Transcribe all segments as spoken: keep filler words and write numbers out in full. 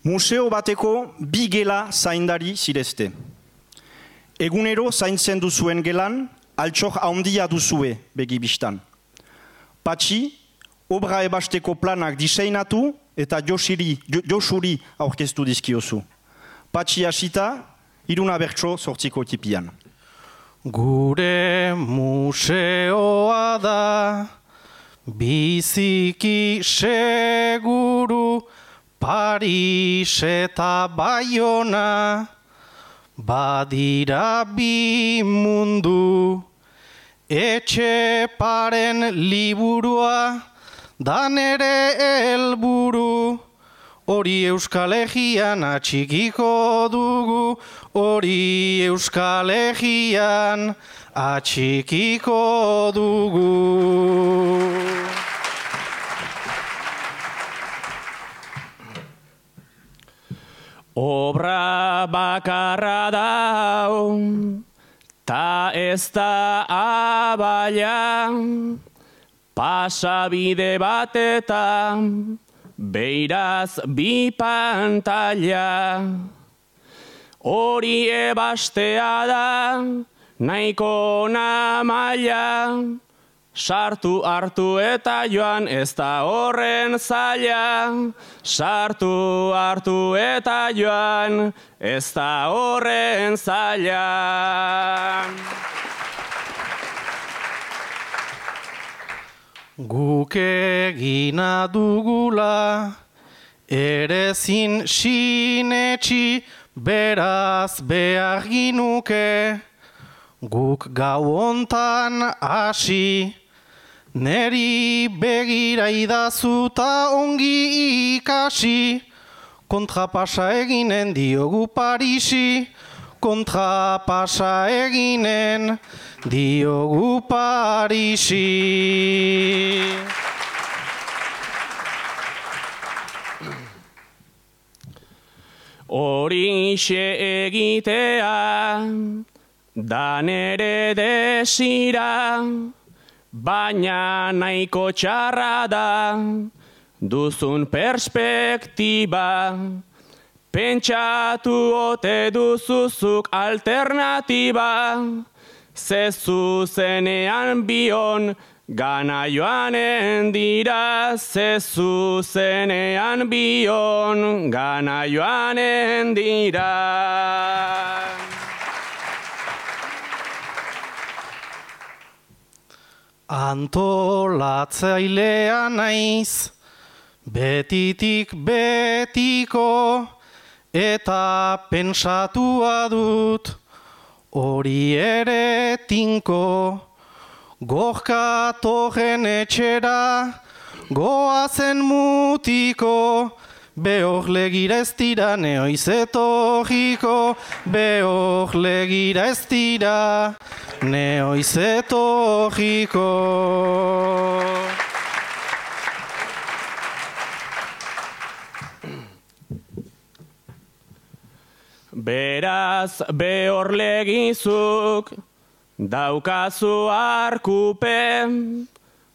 Museo bateko bi gela zaindari zirezte. Egunero zaintzen duzuen gelan, altxor handia duzue begibistan. Patxi, obra ebasteko planak diseinatu eta Josiri, Josuri aurkeztu dizkiozu. Patxi hasita, iruna bertso sortziko tipian. Gure museoa da, biziki seguru, Paris eta Baiona, badira bi mundu, Etxeparen liburua, dan ere helburu, hori Euskal Herrian atxikiko dugu, hori Euskal Herrian atxikiko dugu. Obra bakarra dau, ta ez da abaila, pasabide batetan, beiraz bi pantalla. Hori ebastea da, nahiko namaila, sartu hartu eta joan ez da horren zaila, sartu hartu eta joan ez da horren zaila. Guk egina dugula, ere zin sinetxi, beraz behar ginuke, guk gau hontan hasi, neri begira idazu ta ongi ikasi, kontrapasa eginen diogu Parisi, kontrapasa eginen diogu Parisi. Horixe egitea, da nere desira, baina nahiko txarra da, duzun perspektiba, pentsatu ote duzuzuk alternatiba, ze zuzenean bion, gana joanen dira, ze zuzenean bion, gana joanen dira. Antolatzailea naiz, betitik betiko, eta pentsatua dut, hori ere tinko, gorkatorren etxera, goazen mutiko, behor legira ez dira neoiz etorriko, behor legira ez dira neoiz etorriko. Beraz behor legizuk, daukazu arkupe,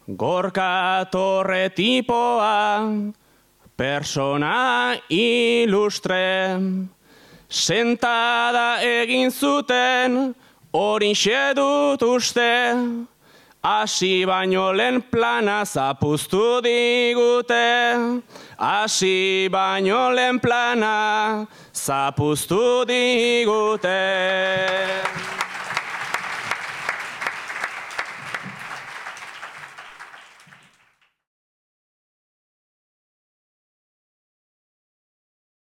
gorka torre tipoa, persona ilustre, sentada egin zuten, horixe dut uste, hasi baino lehen plana zapuztu digute, hasi baino lehen plana zapuztu digute.